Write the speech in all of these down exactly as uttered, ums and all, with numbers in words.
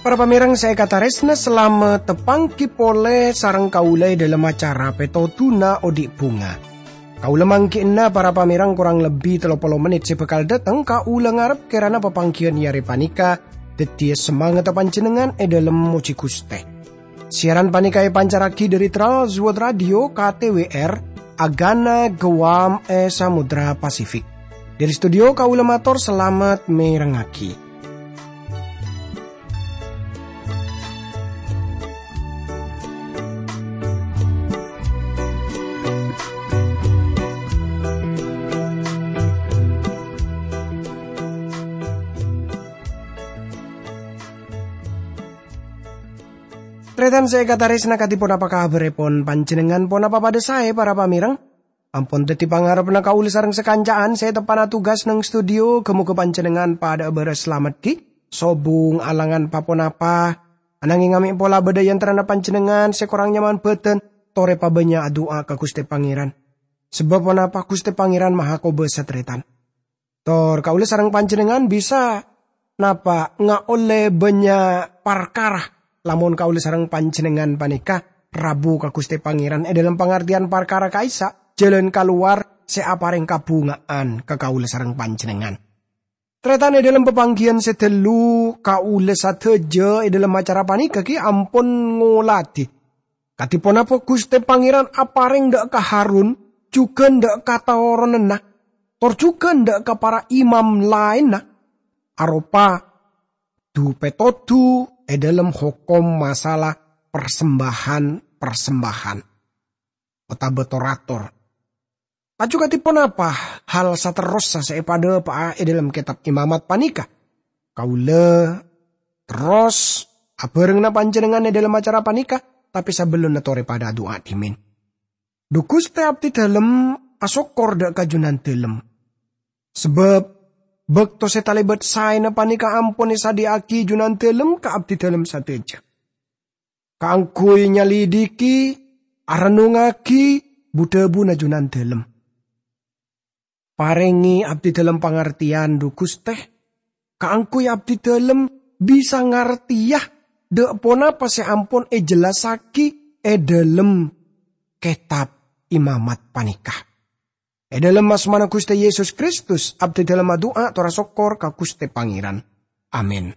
Para pamèrèng sè èkatarèsna, salamet tapanggi polè sareng kaulâ è dhâlem acara Pètodhuna Odi' Bhunga. Kaulâ mangghi'na para pamèrèng korang lebbi tello polo mennit sè bhâkal dâteng, kaulâ ngarep kèrana papangghiyân è arè panèka dhâddhiyâ samangatta panjhennengngan è dhâlem mojhi Ghustè. Siaran panèka èpancarraghi dhâri Trans World Radio K T W R, Agana Guam è Samudra Pasifik. Dhâri studio kaulâ mator salamet mèrengngaghi. Tarètan sè èkatarèsna, kadhi ponapa kabhârèpon panjhennengngan? Ponapa padhâ saè, para pamèrèng? Ampon dhâddhi pangarebbhâ kaulâ sareng sakanca'an sè teppa'na tugas neng studio. Ghâ-mogâ panjhennengngan padhâ'â bârâs salamet ghi', sobung alangan pa-ponapa. Ananghing amè' pola bâdâ è antarana panjhennengngan sè korang nyaman bhâdhân, torè pabânnya' adu'a ka Ghustè Pangèran. Sabâb ponapa, Ghustè Pangèran maha kobâsa, tarètan. Tor kaulâ sareng panjhennengngan bisa napa ngaollè bânnya' parkara, lamon kaulâ sareng panjhennengngan panèka rabu ka Ghustè Pangèran è dhâlem pangartèyan parkara ka'issa', jhâlân kalowar sè aparèng kabhunga'an ka kaulâ sareng panjhennengngan. Tarètan, è dhâlem papangghiyân sè ghâllu, kaulâ sadhâjâ è dhâlem acara panèka ghi' ampon ngolatè kadhi ponapa Ghustè Pangèran aparèng dâ' ka Harun, jhughân dâ' ka toronanna, tor jhughân dâ' ka para imam laènna, aropa du-pètodhu è dhâlem hokom masala parsembahan-parsembahan otabâ tor-ator. Laju kadhi ponapa hal saterrossa sè èpadhâpa'a è dhâlem Kètab Imamat panèka? Kaulâ terros abhârengngana panjhennengngan è dhâlem acara panèka, tapè sabellunna torè padhâ adu'a dhimèn. Dhu Ghustè, abdhi dhâlem asokkor dâ' ka Jhunandhâlem. Sabâb bâkto sè talèbât saèna panèka ampon èsadhiyâ'aghi Jhunandhâlem ka abdhi dhâlem sadhâjâ. Kaangghuy nyalidiki, arennungngaghi bu-dhâbuna Jhunandhâlem. Parèngè abdhi dhâlem pangartèyan, dhu Ghustè, kaangghuy abdhi dhâlem bisa ngartèya dâ' ponapa sè ampon èjellassaghi è dhâlem Kètab Imamat panèka. È dhâlem asmana Ghustè Yesus Kristus, abdhi dhâlem adu'a tor asokkor ka Ghustè Pangèran. Amin.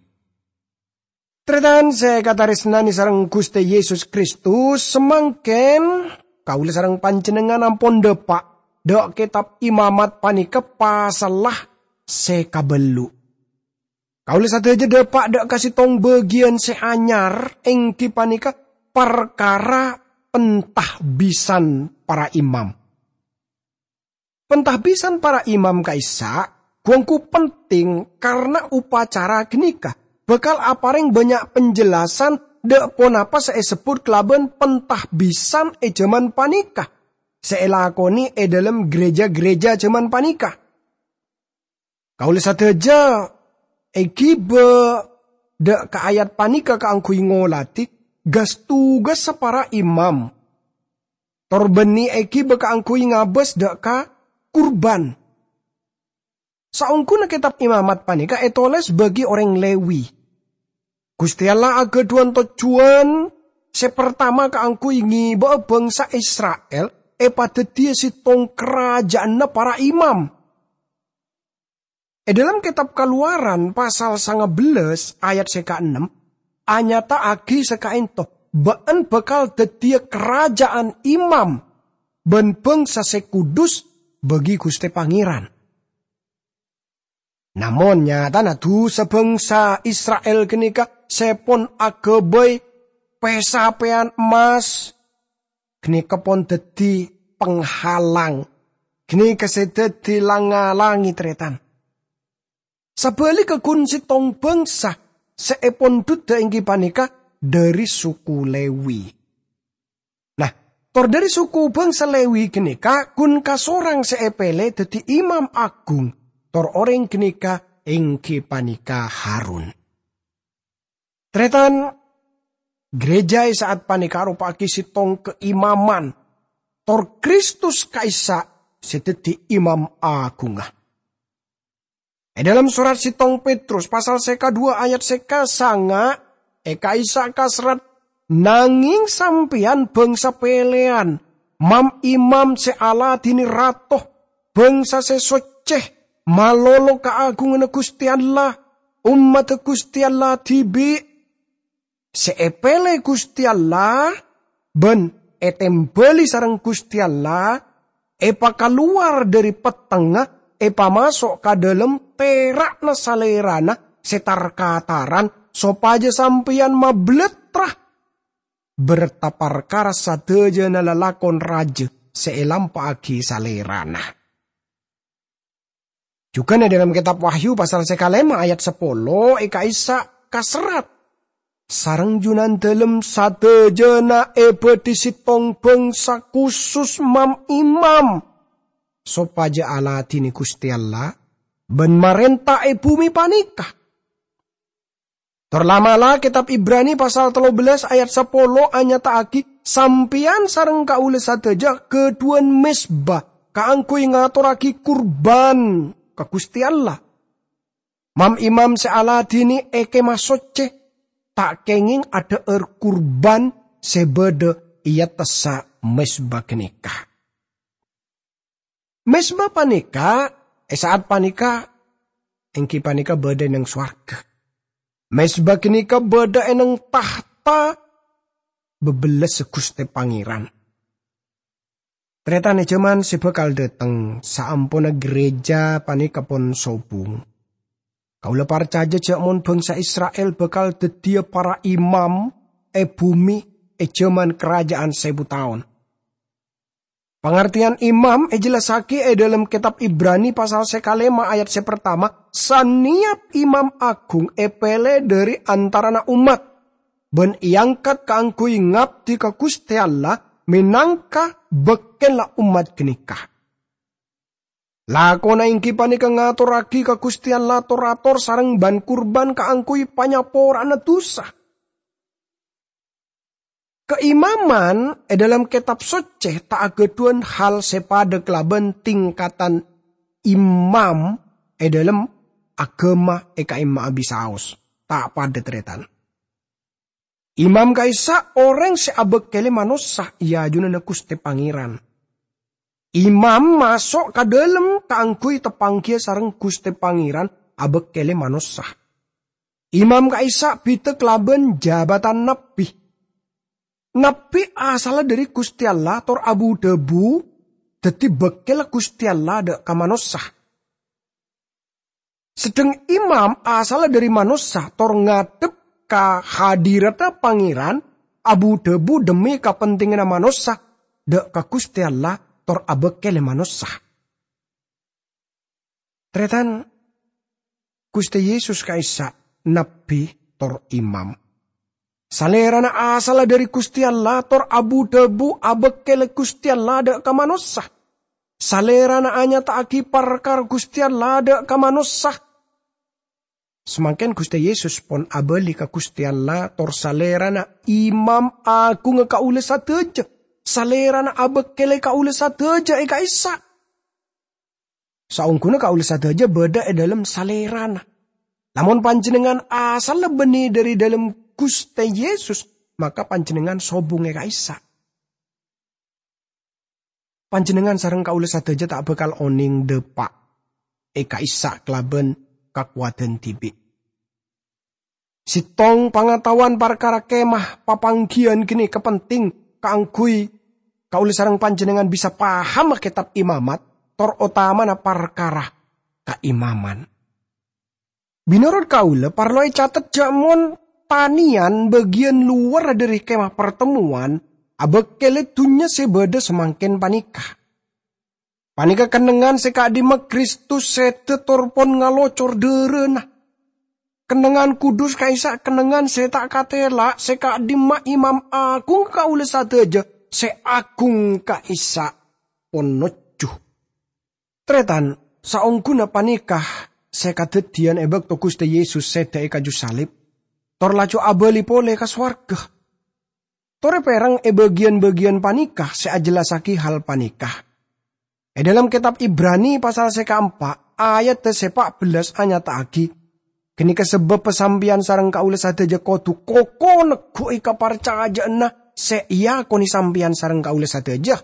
Tarètan sè èkatarèsnanè sareng Ghustè Yesus Kristus, samangkèn kaulâ sareng panjhennengngan ampon dâpa' dâ' Kètab Imamat panèka pasalla sè kabâllu'. Kaulâ sadhâjâ dâpa' dâ' ka sèttong bâgiyân sè anyar, èngghi panèka parkara pentahbisan para imam. Pentahbisan para imam ka'issa' ghu-ongghu penting, karna upacara ghânèka bhâkal aparèng bânnya' penjelasan dâ' ponapa sè èsebbhut kalabân pentahbisan è jhâman panèka, sè èlakonè è dhâlem ghârèjâ-ghârèjâ jhâman panèka. Kaulâ sadhâjâ èghibâ dâ' ka ayat panèka kaangghuy ngolatè gas-tugassa para imam. Tor bânnè èghibâ kaangghuy ngabâs dâ' ka kurban. Saongghuna Kètab Imamat panèka ètolès bagi orèng Lewi, Ghustè Allah aghâdhuwân tojjhuwân sè partama kaangghuy ngèbâ'â bhângsa Isra'il èpadhâddhiyâ sèttong karajâ'ânna para imam. È dhâlem Kètab Kalowaran pasal sanga bellâs ayat sè kaennem, anyata'aghi sè ka'ènto, "Bâ'ân bhâkal dhâddhiyâ karajâ'ân imam bân bhângsa sè kudus bagi Ghustè Pangèran." Namong nyatana dhusa bhângsa Isra'il ghânèka sè pon aghâbây pè-sapèyan emmas, ghânèka pon dhâddhi penghalang, ghânèka sè dhâddhi lang-ngalangè tarètan. Sabhâligghâ ghun sèttong bhângsa sè èpondhudhâ èngghi panèka dhâri suku Lewi. Nah, tor dhâri suku bhângsa Lewi ghânèka ghun kasorang sè èpèlè dhâddhi imam aghung, tor orèng ghânèka èngghi panèka Harun. Tarètan, Gereja è sa'at panèka aropa'aghi sèttong kaimaman, tor Kristus ka'issa' sè dhâddhi Imam Aghungnga. È dhâlem sorat sèttong Petrus pasal sè kaduwâ ayat sè kasanga', è ka'issa' kaserrat, "Nangèng sampèyan bhângsa pèlèyan, mam-imam sè aladhinè Rato, bhângsa sè soccè, malolo kaaghunganna Ghustè Allah, ommadda Ghustè Allah dhibi', sè èpèlè Ghustè Allah bân ètèmbhâli sareng Ghustè Allah, èpakalowar dhâri pettengnga, èpamaso' ka dhâlem tera'na Salèrana sè tar-kataran, sopajâ sampèyan mabelatra berta parkara sadhâjâna lalakon rajâ sè èlampa'aghi Salèrana." Jhughân è dhâlem kètab Wahyu pasal sè kalèma ayat sapolo è ka'issa' kaserrat, "Sareng Junandalem sadhâjâna èbâdhi sèttong bhângsa khusus mam-imam, sopajâ aladhinè Ghustè Allah bân marènta è bhumè panèka." Tor la'-mala' kètab Ibrani pasal tello bellas ayat sapolo anyata'aghi, "Sampèyan sareng kaulâ sadhâjâ ghâdhuwân mezba kaangghuy ngatorraghi kurban ka Ghustè Allah. Mam-imam sè aladhinè è Kèma Soccè ta' kèngèng adhâ'âr kurban sè bâdâ è attassa mezba ghânèka." Mezba panèka, è sa'at panèka, èngghi panèka bâdâ è neng sowarghâ. Mezba ghânèka bâdâ è neng tahta bâbellâssa Ghustè Pangèran. Tarètan è jhâman sè bhâkal dhâteng, saamponna gereja panèka pon sobung, kaulâ parcajâ jhâ' mon bhângsa Isra'il bhâkal dhâddhiyâ para imam è bhumè è jhâman Karajâân Sèbu Taon. Pangartèyan imam èjellassaghi è dhâlem kètab Ibrani pasal sè kalèma ayat sè partama, "Sanèyap imam aghung èpèlè dhâri antarana ommat, bân èangkat kaangghuy ngabdi ka Ghustè Allah mènangka bâkkèlla ommat ghânèka." Lakona èngghi panèka ngatorraghi ka Ghustè Allah tor-ator sareng bân-kurban kaangghuy panyapora'anna dhusa. Kaimaman è dhâlem Kètab Soccè ta' aghâdhuwân hal sè padâ kalabân tingkatan imam è dhâlem aghâma è ka'imma abisaos. Ta' padâ, tarètan. Imam ka'issa' orèng sè abâkkèlè manossa è ajunanna Ghustè Pangèran. Imam maso' ka dhâlem kaangghuy tapangghiyâ sareng Ghustè Pangèran abâkkèlè manossa. Imam ka'issa' bhidhâ kalabân jabatan nabbhi. Nabbhi asalla dhâri Ghustè Allah tor abu-dhâbu dhâddhi bâkkèlla Ghustè Allah dâ' ka manossa. Sedheng imam asalla dhâri manossa tor ngadhep ka hadiradhâ Pangèran, abu-dhâbu dhemmi kapentinganna manossa dâ' ka Ghustè Allah tor abâkkèlè manossa. Tarètan, Ghustè Yesus ka'issa' nabbhi tor imam. Salèrana asalla dhâri Ghustè Allah tor abu-dhâbu abâkkèlè Ghustè Allah dâ' ka manossa. Salèrana anyata'aghi parkara Ghustè Allah dâ' ka manossa. Samangkèn Ghustè Yesus pon abâli ka Ghustè Allah tor Salèrana Imam Aghungnga kaulâ sadhâjâ. Salèrana abâkkèlè kaulâ sadhâjâ è ka'issa'. Saongghuna kaulâ sadhâjâ bâdâ è dhâlem Salèrana. Lamon panjhennengngan asalla bânnè dhâri dhâlem Ghustè Yesus, maka panjhennengngan sobung è ka'issa'. Panjhennengngan sareng kaulâ sadhâjâ ta' bhâkal onèng dâpa' è ka'issa' kalabân kakowadhân dhibi'. Sèttong pangataowan parkara kemah papangghiyân ghânèka penting kaangghuy kaulâ sareng panjhennengngan bisa pahama Kètab Imamat, tor otamana parkara kaimaman. Mènorot kaulâ, parlo ècatet jhâ' mon tanèyan bâgiyân lowar dhâri Kemah Partemmowan abâkkèlè dhunnya sè bâdâ samangkèn panèka. Panèka kennengngan sè ka'dimma Kristus sèdhâ tor pon ngalocor dhârâna. Kennengngan kudus ka'issa' kennengngan sè ta' katèla' sè ka'dimma Imam Aghung kaulâ sadhâjâ sè aghung ka'issa' pon nojjhu. Tarètan, saongghuna panèka sè kadhâddhiyân è bâkto Ghustè Yesus sèdhâ è kaju salib, tor laju abâli polè ka sowarghâ. Torè pèrèng è bâgiyân-bâgiyân panèka sè ajhellassaghi hal panèka. È dhâlem kètab Ibrani pasal sè kaempa', ayat sè pa' bellâs anyata'aghi, "Ghânèka sabâbbhâ sampèyan sareng kaulâ sadhâjâ kodhu koko negghu'i kaparcajâ'ânna sè èakonè sampèyan sareng kaulâ sadhâjâ.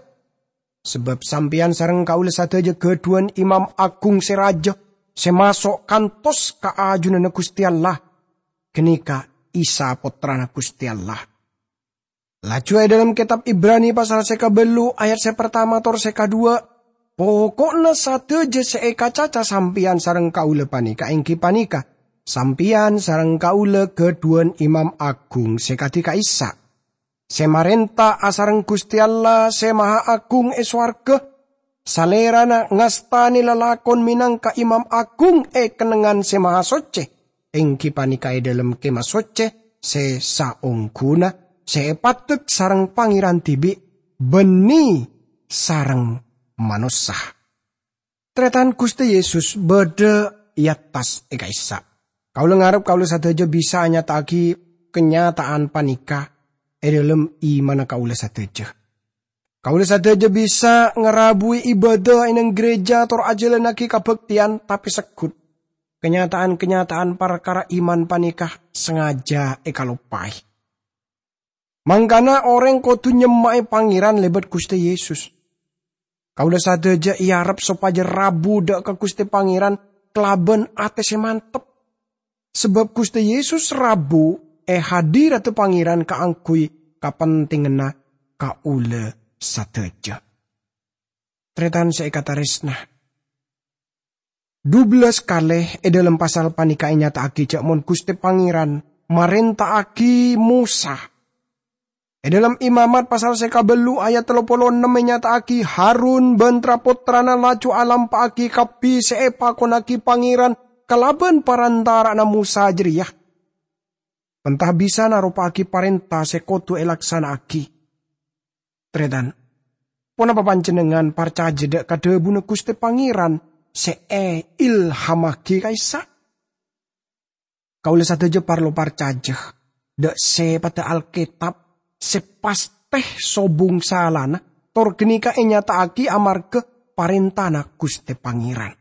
Sabâb sampèyan sareng kaulâ sadhâjâ ghâdhuwân Imam Aghung sè rajâ, sè maso' kantos ka ajunanna Ghustè Allah, ghânèka Isa, Pottrana Ghustè Allah." Laju è dhâlem kètab Ibrani pasal sè kabâllu' ayat sè partama tor sè kaduwâ', "Poko'na sadhâjâ sè èkacaca sampèyan sareng kaulâ panèka èngghi panèka, sampèyan sareng kaulâ ghâdhuwân Imam Aghung sè kadhi ka'issa', sè marènta asareng Ghustè Allah sè Maha Aghung è sowarghâ. Salèrana ngastanè lalakon mènangka Imam Aghung è kennengngan Sè Mahasoccè, èngghi panèka è dhâlem Kèma Soccè sè saongghuna, sè èpaddek sareng Pangèran dhibi', bânnè sareng manossa." Tarètan Ghustè Yesus bâdâ è attas è ka'issa'. Kaulâ ngarep kaulâ sadhâjâ bisa anyata'aghi kanyata'an panèka è dhâlem imanna kaulâ sadhâjâ. Kaulâ sadhâjâ bisa ngarabuwi ibâdâ è neng ghârèjâ tor ajhâlannaghi kabhâktèyan, tapè segghut, kanyata'an-kanyata'an parkara iman panèka sangajâ èkaloppaè. Mangkana orèng kodhu nyemma'è Pangèran lèbât Ghustè Yesus. Kaulâ sadhâjâ èarep sopajâ rabu dâ' ka Ghustè Pangèran kalabân atè sè mantep. Sabâb Ghustè Yesus rabu è hadiradda Pangèran kaangghuy kapentènganna kaulâ sadhâjâ. Tarètan sè èkatarèsna, dubellâs kalè è dhâlem pasal panèka ènyata'aghi jâ' mon Ghustè Pangèran marènta'aghi Mosa. È dhâlem Imamat pasal sè kabâllu' ayat tello polo ennem ènyata'aghi, Harun bân tra-pottrana laju alampa'aghi kabbhi sè èpakonnaghi Pangèran kalabân parantara'anna Mosa jârèya. Penta bisa naropa'aghi parènta sè kodhu èlaksana'aghi. Tarètan, ponapa panjhennengngan parcajâ dâ' ka dhâbuna Ghustè Pangèran sè èilhammaghi ka'issa'? Kaulâ sadhâjâ parlo parcajâ dâ' sèpaddhâ Alkètab sè pastè sobung salana, tor ghânèka ènyata'aghi amarghâ parèntana Ghustè Pangèran.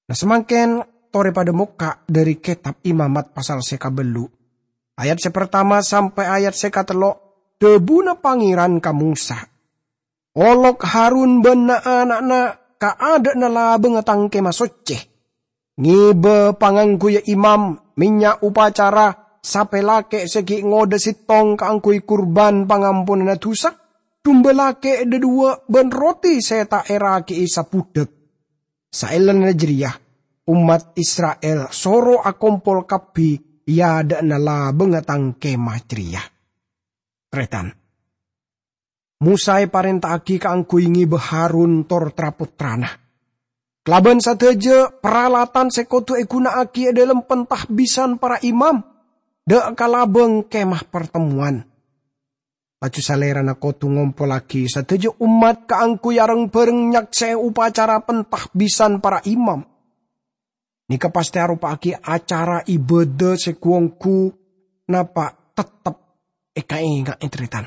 Nah, samangkèn torè padâ mokka' dhâri Kètab Imamat pasal sè kabâllu', ayat sè partama sampè' ayat sè katello', dhâbuna Pangèran ka Mosa, "Olok Harun bân na'-ana'na ka adâ'na labângnga Tang Kèma Soccè. Ngèbâ pangangguya imam, mènnya' opacara, sapè lakè' sè ghi' ngodâ sèttong kaangghuy kurbân pangamponanna dhusa, dumba lakè' dhâduwâ' bân roti sè ta' èraghi'i sabudhâk." Saellana jârèya, ommat Isra'il soro akompol kabbhi è adâ'na labângnga Tang Kèma jârèya. Tarètan, Mosa èparènta'aghi kaangghuy ngèbâ Harun tor tra-pottrana kalabân sadhâjâ paralatan sè kodhu èghuna'aghi è dhâlem pentahbisan para imam, dâ' ka labâng Kèma Partemmowan. Laju Salèrana kodhu ngompollaghi sadhâjâ ommat kaangghuy areng-bhâreng nyaksè'è opacara pentahbisan para imam. Nèka pastè aropa'aghi acara ibâdâ sè ghu-ongghu, napa' tettep èkaènga'è, tarètan.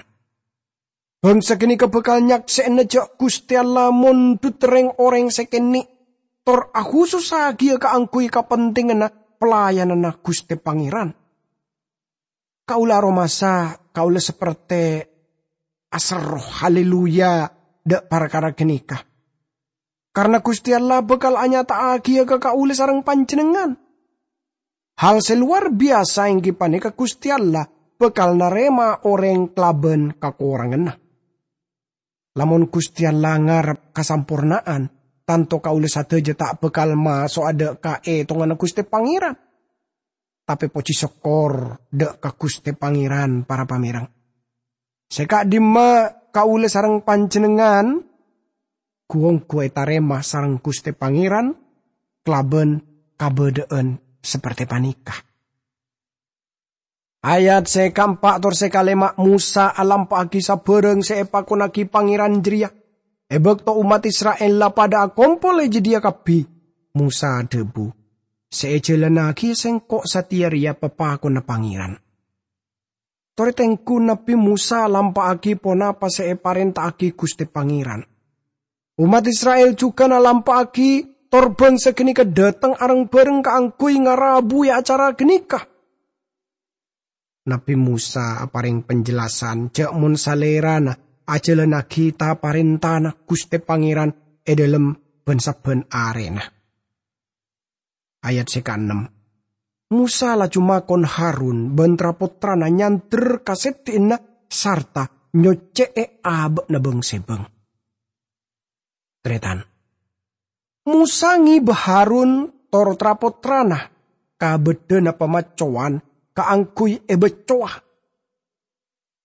Bhângsa ghânèka bhâkal nyaksè'ana jâ' Ghustè Allah mondhut rèng-orèng sè kènè', tor ahusussaghiyâ kaangghuy kapentènganna pelayananna Ghustè Pangèran. Kaulâ aromasa, kaulâ sapertè aserro, haleluya, dâ' parkara ghânèka. Karna Ghustè Allah bhâkal anyata'aghiyâ ka kaulâ sareng panjhennengngan. Hal sè lowar biyasa èngghi panèka Ghustè Allah bhâkal narèma orèng kalabân kakoranganna. Lamon Ghustè Allah ngarep kasamporna'an, tanto kaulâ sadhâjâ ta' bhâkal maso'a dâ' ka ètonganna Ghustè Pangèran. Tapè pojhi sokkor dâ' ka Ghustè Pangèran, para pamèreng. Sè ka'dimma kaulâ sareng panjhennengngan ghu-ongghu ètarèma sareng Ghustè Pangèran kalabân kabâdâ'ân sapertè panèka. Ayat sè kaempa' tor sè kalèma', Mosa alampa'aghi sabârâng sè èpakonnaghi Pangèran jârèya. È bâkto ommat Isra'il la padâ akompol è jâdiyâ kabbhi, Mosa adhâbu, "Sè èjhâlânnaghi sèngko' satèya rèya papakonna Pangèran." Torè tengghu Nabbhi Mosa lampa'aghi ponapa sè èparènta'aghi Ghustè Pangèran. Ommat Isra'il jhughân alampa'aghi tor bhângsa ghânèka dhâteng areng-bhâreng kaangghuy ngarabuwi acara ghânèka. Nabbhi Mosa aparèng panjhellasan jhâ' mon salèrana ajhâlannaghi ta-parèntana Ghustè Pangèran è dhâlem bân-sabbhân arèna. Ayat sè kaennem. Mosa laju makon Harun bân tra-pottrana nyandher ka sèddhi'na sarta nyoccè'è abâ'na bâng-sèbâng. Tarètan. Mosa ngèbâ Harun tor tra-pottrana ka bâddhâna pamaccowan kaangghuy èbâccowa.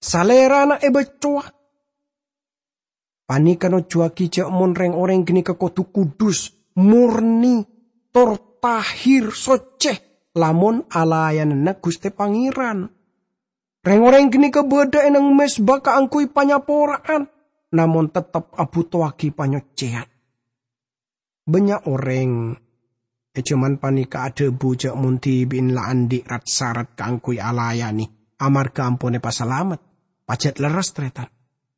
Salèrana èbâccowa. Panèka nojuwâghi jhâ' mon rèng-orèng ghânèka kodhu kudus, mornè, tor tahir, soccè, lamon alayanana Ghustè Pangèran. Rèng-orèng ghânèka bâdâ è nèng mezba kaangghuy panyapora'an, namong teptep abhutowaghi panyoccèyan. Bânnya' orèng è jhâman panèka adhâbu jhâ' mon dhibi'na la andi' rat-sarat kaangghuy alayanè amarghâ ampon èpasalamet. Pajhât lerres, tarètan.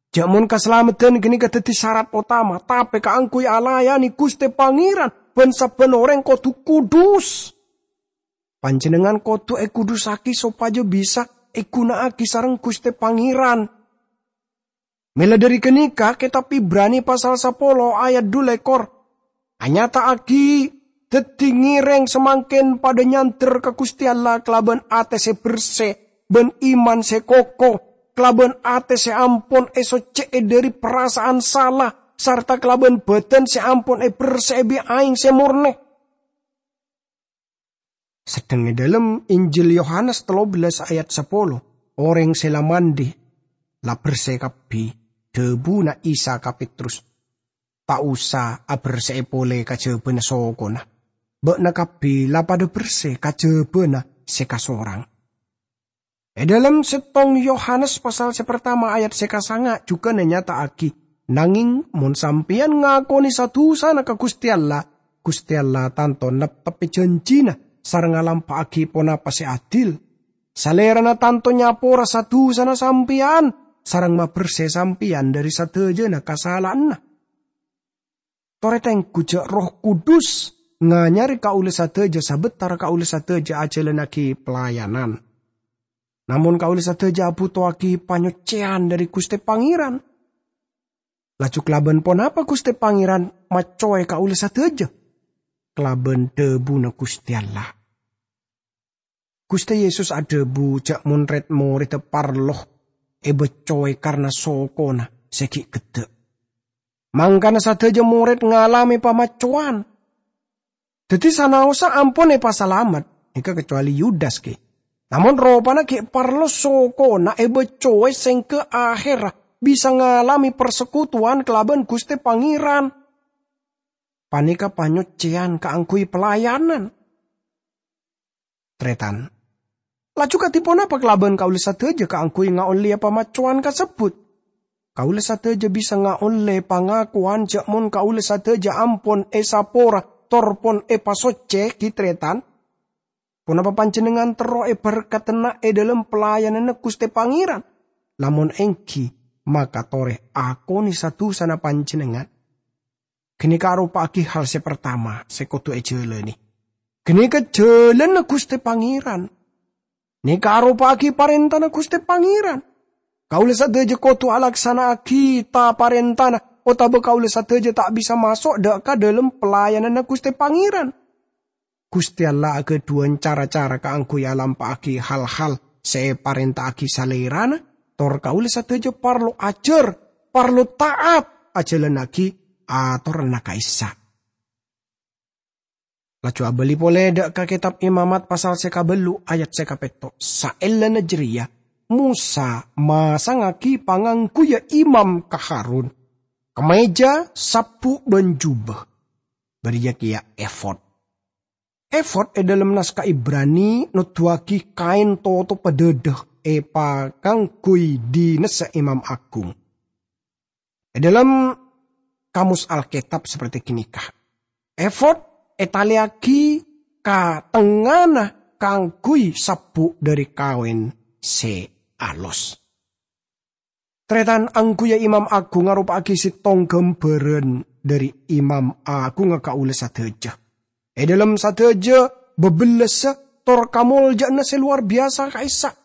Jhâ' mon kasalameddhân ghânèka dhâddhi sarat otama, tapè kaangghuy alayanè Ghustè Pangèran, bân-sabbhân orèng kodhu kudus. Panjhennengngan kodhu èkudussaghi sopajâ bisa èghuna'aghi sareng Ghustè Pangèran. Mèla dhâri ghânèka, Kètab Ibrani pasal sapolo ayat dhu lèkor anyata'aghi dhâddhi ngèrèng samangkèn padhâ nyandher ka Ghustè Allah kalabân atè sè bersè bân iman sè koko, kalabân atè sè ampon èsoccè'è dhâri parasa'an sala, sarta kalabân bhâdhân sè ampon èbersè'è bi' aèng sè mornè. Sedheng è dhâlem Injil Yohanes tello bellâs ayat sapolo, orèng sè la mandhi, la bersè kabbhi, dhâbuna Isa ka Petrus, "Ta' osa abersè'è polè kajhâbhâna sokona. Bâ'na kabbhi la padhâ bersè kajhâbhâna sè kasorang." È dhâlem settong Yohanes pasal sè partama ayat sè kasanga' jhughân ènyata'aghi, "Nangèng mon sampèyan ngakonè sa-dusana ka Ghustè Allah, Ghustè Allah tanto neptebbhi jhânjhina sareng alampa'aghi ponapa sè adil. Salèrana tanto nyapora sa-dusana sampèyan sareng mabersè sampèyan dhâri sadhâjâna kasala'anna." Torè tengghu jhâ' Erroh Kudus nganyarè kaulâ sadhâjâ sabâtara kaulâ sadhâjâ ajhâlannaghi pelayanan. Namong kaulâ sadhâjâ abhutowaghi panyoccèyan dhâri Ghustè Pangèran. Laju kalabân ponapa Ghustè Pangèran maccowè kaulâ sadhâjâ? Kalabân dhâbuna Ghustè Allah. Ghustè Yesus adhâbu jhâ' mon red-moredda parlo èbaccowè karna sokona sè ghi' ghedda'. Mangkana sadhâjâ morèd ngalamè pamaccowan. Dhâddhi sanaossa ampon èpasalamet, èngghâ kacobâli Yudas, ghi. Namong ropana ghi' parlo sokona èbaccowè sèngghâ ahèrra bisa ngalamè parsekutuwan kalabân Ghustè Pangèran. Panèka panyoccèyan kaangghuy pelayanan. Tarètan. Laju kadhi ponapa kalabân kaulâ sadhâjâ kaangghuy ngaollèya pamaccowan kasebbhut? Kaulâ sadhâjâ bisa ngaollè pangakowan jhâ' mon kaulâ sadhâjâ ampon èsapora tor pon èpasoccè, ghi, tarètan. Ponapa panjhennengngan terro èberkadhâna è dhâlem pelayananna Ghustè Pangèran? Lamon ènggi, maka torè akonè sa-dusana panjhennengngan. Ghânèka aropa'aghi hal sè partama sè kodhu èjhâlânè. Ghânèka jhâlânna Ghustè Pangèran. Nèka aropa'aghi parèntana Ghustè Pangèran. Kaulâ sadhâjâ kodhu alaksana'aghi ta-parèntana, otabâ kaulâ sadhâjâ ta' bisa maso' dâ' ka dhâlem pelayananna Ghustè Pangèran. Ghustè Allah aghâdhuwân cara-cara kaangghuy alampa'aghi hal-hal sè èparènta'aghi Salèrana, tor kaulâ sadhâjâ parlo ajhâr, parlo ta'at ajhâlannaghi atoranna ka'issa'. Laju abâli polè dâ' ka Kètab Imamat pasal sè kabâllu' ayat sè kapètto'. Saellana jârèya, Mosa masangngaghi pangangguya imam ka Harun, kamèja, sabbu', bân jubâ. Bâriyâ kèya efod. Efod è dhâlem naskah Ibrani noduwâghi kaèn totobbhâ dhâdhâ èpakangguy dinessa imam agung. È dhâlem Kamus Alkètab saperti ghânèka, efod ètalèyaghi ka tengngana kaangghuy sabbu' dhâri kaèn sè alos. Tarètan, angghuyyâ Imam Aghung aropa'aghi sèttong ghâmbhârân dhâri Imam Aghungnga kaulâ sadhâjâ. È dhâlem sadhâjâ bâbellâssa tor kamoljâ'ânna sè lowar biyasa ka'issa'.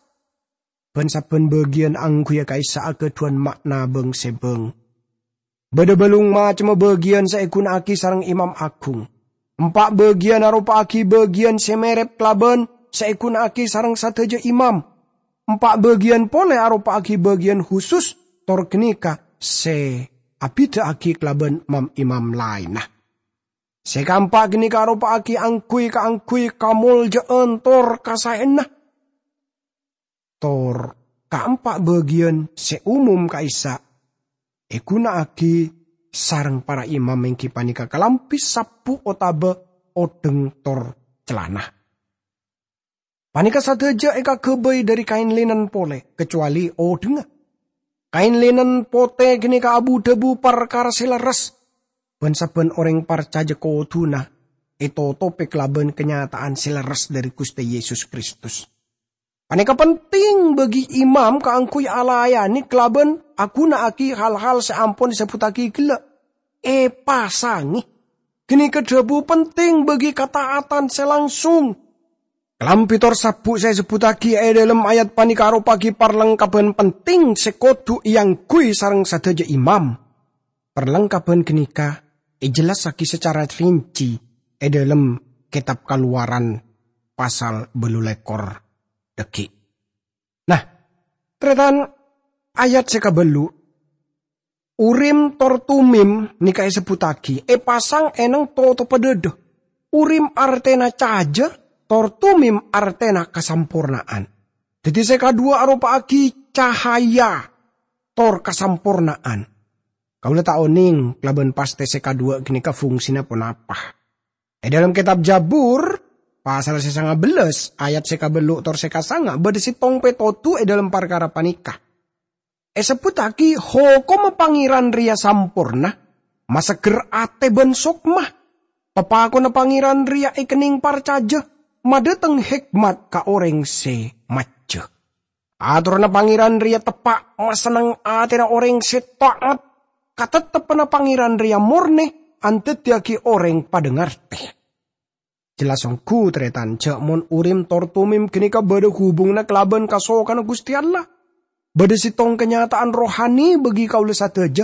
Bân sabbhân bâgiyân angghuyyâ ka'issa' aghâdhuwân ma'na bâng-sèbâng. Bâdâ bâlung macemma bâgiyân sè èghuna'aghi sareng Imam Aghung. Empa' bâgiyân aropa'aghi bâgiyân sè mèrep kalabân sè èghuna'aghi sareng sadhâjâ imam. Empa' bâgiyân polè aropa'aghi bâgiyân husus, tor ghânèka sè abhidhâ'aghi kalabân mam-imam laènna. Sè kaempa' ghânèka aropa'aghi angghuy kaangghuy kamoljâ'ân tor kasaèyanna. Tor kaempa' bâgiyân sè umum ka'issa' èghuna'aghi sareng para imam èngghi panèka kalambhi sabbhu otabâ odheng tor calana. Panèka sadhâjâ èkaghâbây dhâri kaèn linen polè, kacowalè odhângnga. Kaèn linen potè ghânèka abu-dhâbu parkara sè lerres, bân sabbhân orèng parcajâ kodhuna ètotobhi kalabân kanyata'an sè lerres dhâri Ghustè Yesus Kristus. Panèka penting bagi imam kaangghuy alayanè kalabân aghuna'aghi hal-hal sè ampon èsebbhuttaghi ghellâ'. Èpasangè. Ghânèka dhâbu penting bagi kataatan sè langsung. Kalambhi tor sabbhu sè èsebbhuttaghi è dhâlem ayat panèka aropa'aghi parlengkabbhân penting sè kodhu èangghuy sareng sadhâjâ imam. Parlengkabbhân ghânèka èjellassaghi sacara rinci è dhâlem Kètab Kalowaran pasal bâllu lèkor dhâggi'. Nah, tarètan, ayat sè kabâllu', Urim tor Tumim nèka èsebbhuttaghi èpasang è neng totobhâ dhâdhâ. Urim artèna cajâ, tor Tumim artèna kasamporna'an. Dhâddhi sè kadhuwâ aropa'aghi cahaya tor kasamporna'an. Kaulâ ta' onèng kalabân pastè sè kadhuwâ ghânèka fungsina ponapa. È dhâlem Kètab Jabur, pasal sè sanga bellâs, ayat sè kabâllu' tor sè kasanga, bâdâ sèttong pètodhu è dhâlem parkara panèka. Èsebbhuttaghi hokomma Pangèran rèya samporna, masegger atè bân sokma. Papakonna Pangèran rèya èkennèng parcajâ, madhâteng hèkmat ka orèng sè majjhâ. Atoranna Pangèran rèya teppa', masenneng atèna orèng sè ta'at. Katetteppanna Pangèran rèya mornè, andhâddhiyâghi orèng padâ ngartè. Jelas ongghu, tarètan, jhâ' mon Urim tor Tumim ghânèka bâdâ hubunganna kalabân kasokanna Ghustè Allah. Bâdâ sèttong kanyata'an rohani bagi kaulâ sadhâjâ.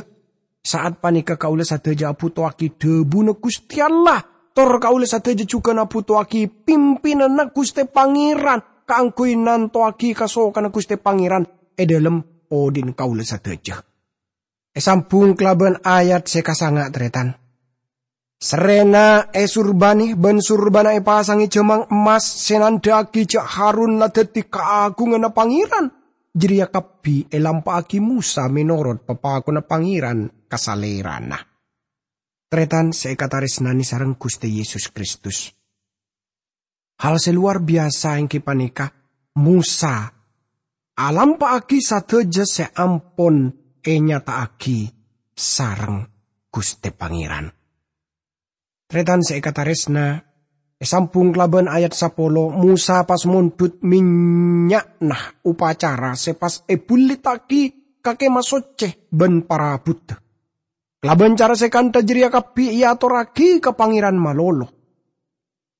Sa'at panèka kaulâ sadhâjâ abhutoaghi dhâbuna Ghustè Allah, tor kaulâ sadhâjâ jhughân abhutoaghi pimpinanna Ghustè Pangèran kaangghuy nantowaghi kasokanna Ghustè Pangèran è dhâlem odhi'na kaulâ sadhâjâ. Èsambhung kalabân ayat sè kasanga, tarètan. Serrèna èsurbanè bân surbana èpasangè jhâmang emmas sè nandhâ'aghi jhâ' Harun la dhâddhi kaagunganna Pangèran. Jârèya kabbhi èlampa'aghi Mosa mènorot papakonna Pangèran ka salèrana. Tarètan sè èkatarèsnanè sareng Ghustè Yesus Kristus. Hal sè lowar biyasa èngghi panèka Mosa alampa'aghi sadhâjâ sè ampon ènyata'aghi sareng Ghustè Pangèran. Tarètan sè èkatarèsna, èsambhung kalabân ayat sapolo, Mosa pas mondhut mènnya'na opacara sè pas èbhullittaghi ka Kèma Soccè bân parabuddhâ. Kalabân cara sè kantha jârèya kabbhi èatorraghi ka Pangèran malolo.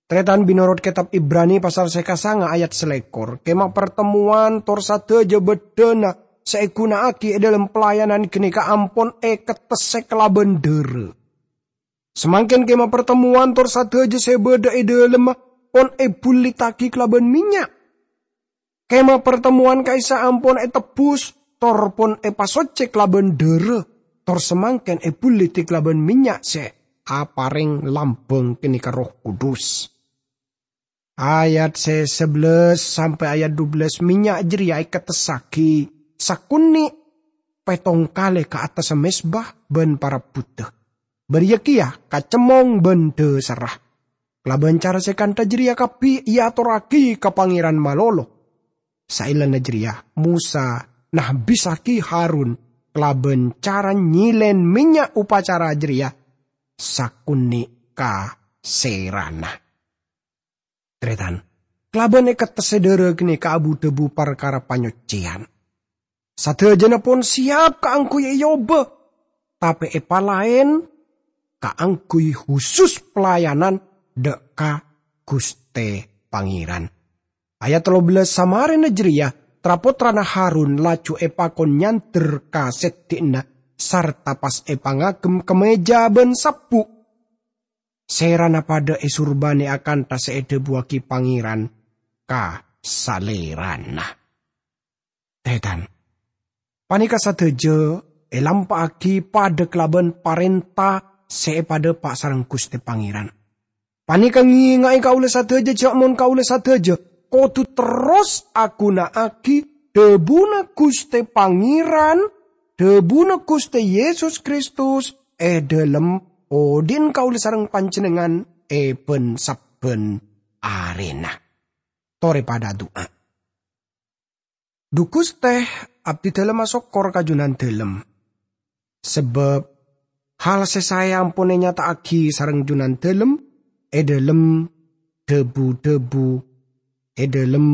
Tarètan, mènorot Kètab Ibrani pasal sè kasanga ayat salèkor, kèma partemmowan tor sadhâjâ bâddhâna sè èghuna'aghi è dhâlem pelayanan ghânèka ampon èkettessè kalabân dhârâ. Samangkèn kèma partemmowan tor sadhâjâ sè bâdâ è dhâlemma pon èbhullittaghi kalabân mènnya'. Kèma partemmowan ka'issa' ampon ètebbhus, tor pon èpasoccè kalabân dhârâ, tor samangkèn èbhullittè kalabân mènnya' sè aparèng lambâng ghânèka Erroh Kudus. Ayat sè sabellâs sampè' ayat dubellâs, mènnya' jârèya èkettessaghi sakonè' pèttong kalè ka attassa mezba bân parabuddhâ. Bâriyâ kèya ka cemmong bân dhâsarra. Kalabân cara sè kantha jârèya kabbhi èatorraghi ka Pangèran malolo. Saellana jârèya, Mosa nahbissaghi Harun kalabân cara nyèlèn mènnya' opacara jârèya sakonè' ka sèrana. Tarètan, kalabân èkettessè dhârâ ghânèka abu-dhâbu parkara panyoccèyan. Sadhâjâna pon siap kaangghuy èobâ, tapè èpalaèn kaangghuy husus pelayanan dâ' ka Ghustè Pangèran. Ayat tello bellas, samarèna jârèya, tra-pottrana Harun laju èpakon nyandher ka sèddhi'na sarta pas èpangagem kamèja bân sabbu'. Sèrana padâ èsurbâna akantha sè èdhâbuwâghi Pangèran ka salèrana. Tan-tarètan, panèka sadhâjâ èlampa'aghi padâ kalabân parènta sè èpadhâpa' sareng Ghustè Pangèran. Panèka ngènga'è kaulâ sadhâjâ jâ' mon kaulâ sadhâjâ kodhu terros aghuna'aghi dhâbuna Ghustè Pangèran, dhâbuna Ghustè Yesus Kristus è dhâlem odhi'na kaulâ sareng panjhennengngan è bân-sabbhân arèna. Torè padâ adu'a. Dhu Ghustè, abdhi dhâlem asokkor ka Jhunandhâlem. Sabâb hal sè saè ampon ènyata'aghi sareng Jhunandhâlem è dhâlem dhâbu-dhâbu, è dhâlem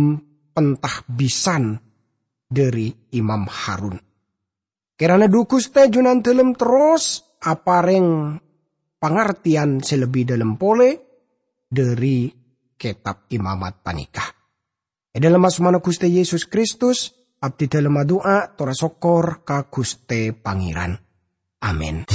pentahbisan dhâri Imam Harun. Kèrana dhu Ghustè Jhunandhâlem terros aparèng pangartèyan sè lebbi dhâlem polè dhâri Kètab Imamat panèka. È dhâlem asmana Ghustè Yesus Kristus, abdhi dhâlem adu'a, tor asokkor ka Ghustè Pangèran. Amin.